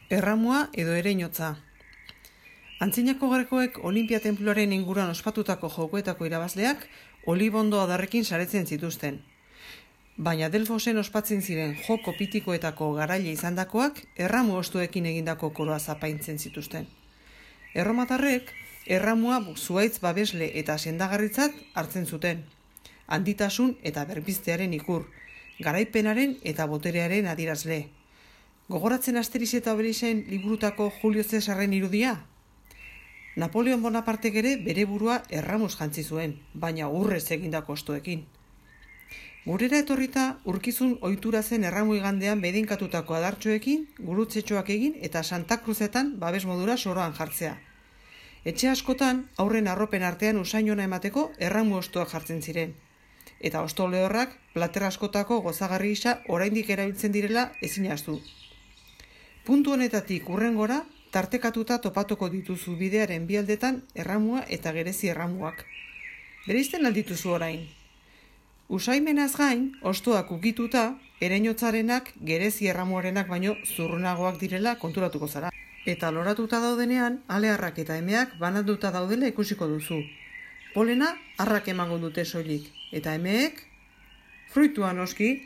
Erramua edo ereinotza. Antzinako grekoek Olimpia tenpluaren inguruan ospatutako jokoetako irabazleak olibondo adarrekin saretzen zituzten. Baina Delfosen ospatzen ziren joko pitikoetako garaile izandakoak erramu ostuekin egindako koroa zapaintzen zituzten. Erromatarrek erramua zuhaitz babesle eta sendagarritzat hartzen zuten. Handitasun eta berpiztearen ikur, garaipenaren eta boterearen adierazle. Gogoratzen Asterix eta Obelixen liburutako Julio Cesarren irudia? Napoleon Bonapartek ere bere burua erramuz jantzi zuen, baina urrez egindako ostoekin. Gurera etorrita urkizun ohitura zen erramu igandean bedeinkatutako adartxoekin, gurutzetxoak egin eta Santa Cruzetan babes modura soroan jartzea. Etxe askotan aurren arropen artean usainona emateko erramu ostoak jartzen ziren. Eta osto lehorrak plater askotako gozagarri gisa oraindik erabiltzen direla ezin ahaztu. Puntu honetatik hurrengora tartekatuta topatuko dituzu bidearen bi aldetan erramua eta gerezi erramuak. Bereizten aldituzu orain. Usaimenaz gain, ostoak ukituta, ereinotzarenak gerezi erramuarenak baino zurrunagoak direla konturatuko zara. Eta loratuta daudenean, aleharrak eta emeak bananduta daudela ikusiko duzu. Polena harrak emango dute soilik, eta emeek fruitua noski.